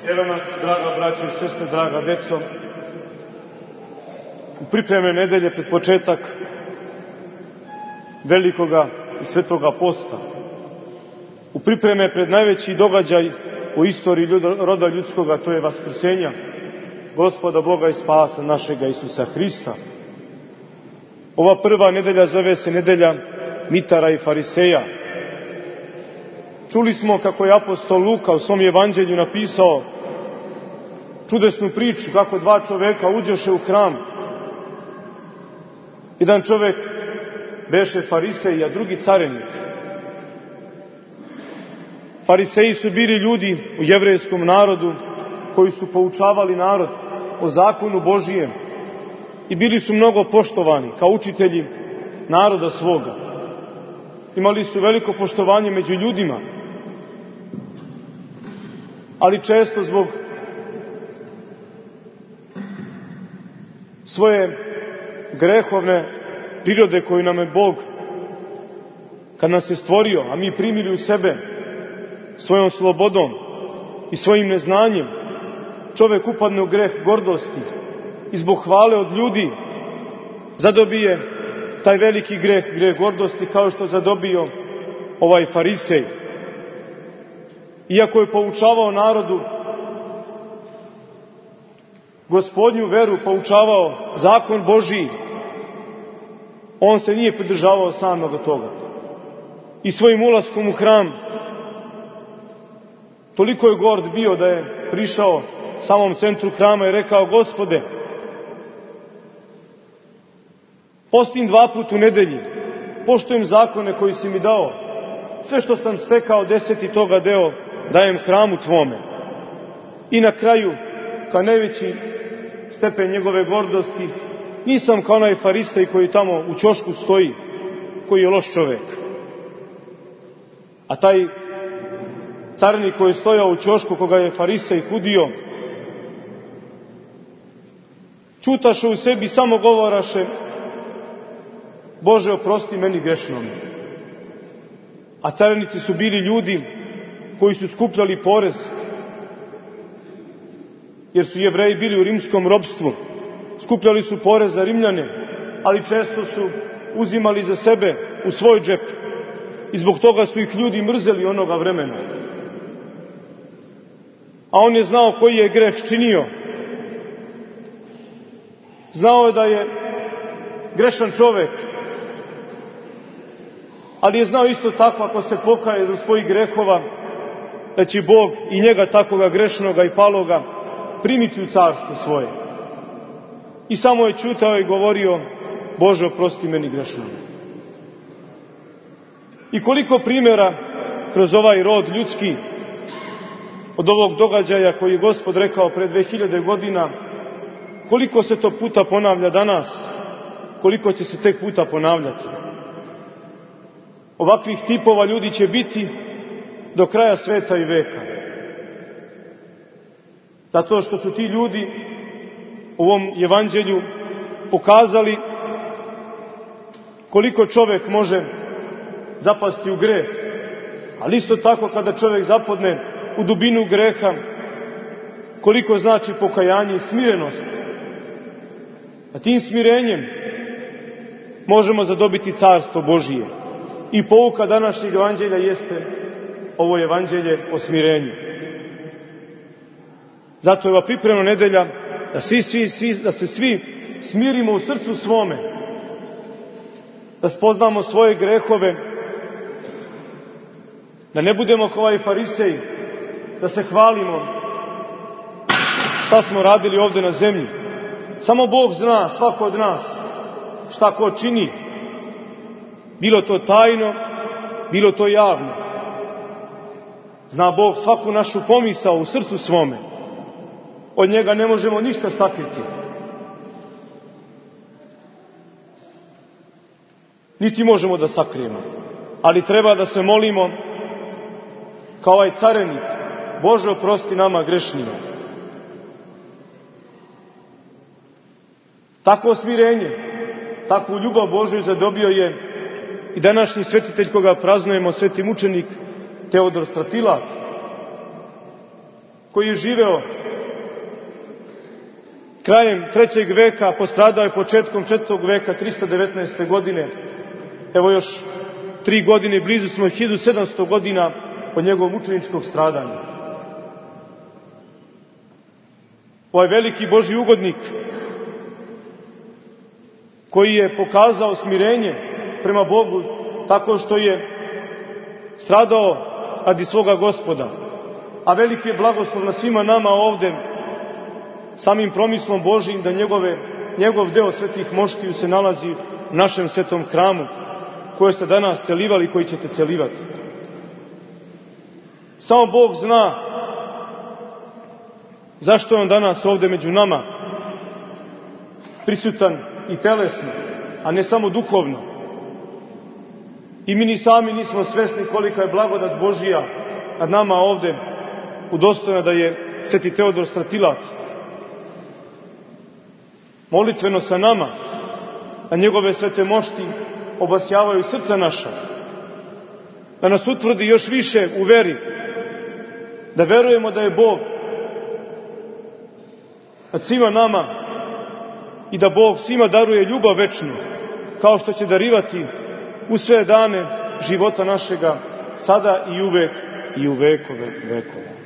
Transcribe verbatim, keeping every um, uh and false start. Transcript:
Evo nas, draga braćo i sestre, draga deco, u pripreme nedelje pred početak velikoga i svetoga posta, u pripreme pred najveći događaj u istoriji roda ljudskoga, to je vaskrsenja Gospoda Boga i spasa našega Isusa Hrista. Ova prva nedelja zove se nedelja mitara i fariseja. Čuli smo kako je apostol Luka u svom evanđelju napisao čudesnu priču kako dva čoveka uđoše u hram. Jedan čovek beše farisej, a drugi carenik. Fariseji su bili ljudi u jevrejskom narodu koji su poučavali narod o zakonu Božijem i bili su mnogo poštovani kao učitelji naroda svoga. Imali su veliko poštovanje među ljudima, ali često zbog svoje grehovne prirode koju nam je Bog, kad nas je stvorio, a mi primili u sebe svojom slobodom i svojim neznanjem, čovjek upadne u greh gordosti i zbog hvale od ljudi zadobije taj veliki greh, greh gordosti, kao što zadobio ovaj farisej. Iako je poučavao narodu Gospodnju veru, poučavao zakon Božiji, on se nije pridržavao samoga toga. I svojim ulaskom u hram toliko je gord bio da je prišao samom centru hrama i rekao: Gospode, postim dva put u nedelji, poštujem zakone koji si mi dao, sve što sam stekao deseti toga deo dajem hramu tvome. I na kraju, kao najveći stepen njegove gordosti, nisam kao onaj farisej koji tamo u ćošku stoji, koji je loš čovek. A taj carnik koji je stojao u ćošku, koga je farisej kudio, čutaše u sebi, samo govoraše: Bože, oprosti meni grešnome. A carinici su bili ljudi koji su skupljali porez, jer su Jevreji bili u rimskom ropstvu. Skupljali su porez za Rimljane, ali često su uzimali za sebe u svoj džep i zbog toga su ih ljudi mrzeli onoga vremena. A on je znao koji je greh činio. Znao je da je grešan čovek, ali je znao isto tako, ako se pokaje do svojih grehova, da će Bog i njega takoga grešnoga i paloga primiti u carstvo svoje. I samo je ćutao i govorio: Bože, oprosti meni grešnome. I koliko primjera kroz ovaj rod ljudski od ovog događaja koji je Gospod rekao pre dve hiljade godina, koliko se to puta ponavlja danas, koliko će se tek puta ponavljati. Ovakvih tipova ljudi će biti do kraja sveta i veka. Zato što su ti ljudi u ovom evanđelju pokazali koliko čovjek može zapasti u greh, ali isto tako kada čovjek zapadne u dubinu greha, koliko znači pokajanje i smirenost. A tim smirenjem možemo zadobiti carstvo Božije. I pouka današnjeg evanđelja jeste ovo evanđelje o smirenju. Zato je ova pripremna nedelja da, svi, svi, svi, da se svi smirimo u srcu svome, da spoznamo svoje grehove, da ne budemo kao ovaj farisej, da se hvalimo šta smo radili ovdje na zemlji. Samo Bog zna, svako od nas, šta ko čini, bilo to tajno, bilo to javno. Zna Bog svaku našu pomisao u srcu svome. Od njega ne možemo ništa sakriti. Niti možemo da sakrijemo. Ali treba da se molimo kao ovaj carenik: Bože, oprosti nama grešnima. Takvo smirenje, takvu ljubav Božju zadobio je i današnji svetitelj koga praznujemo, sveti mučenik Teodor Stratilat. koji je živeo krajem trećeg veka, postradao je početkom četvrtog veka, tristo devetnaeste. godine. Evo još tri godine, blizu smo hiljadu sedamsto godina od njegovog mučeničkog stradanja. Ovaj veliki Božji ugodnik koji je pokazao smirenje prema Bogu tako što je stradao radi svoga Gospoda, a veliki je blagoslov na svima nama ovde, samim promislom Božijim da njegove, njegov deo svetih moštiju se nalazi u našem svetom hramu, koje ste danas celivali i koji ćete celivati. Samo Bog zna zašto je on danas ovde među nama prisutan i telesno, a ne samo duhovno. I mi ni sami nismo svesni kolika je blagodat Božija nad nama ovde udostojena da je sveti Teodor Stratilac molitveno sa nama, a njegove svete mošti obasjavaju srca naša, da nas utvrdi još više u veri, da verujemo da je Bog nad svima nama i da Bog svima daruje ljubav večnu, kao što će darivati u sve dane života našega, sada i uvek i u vekove vekova.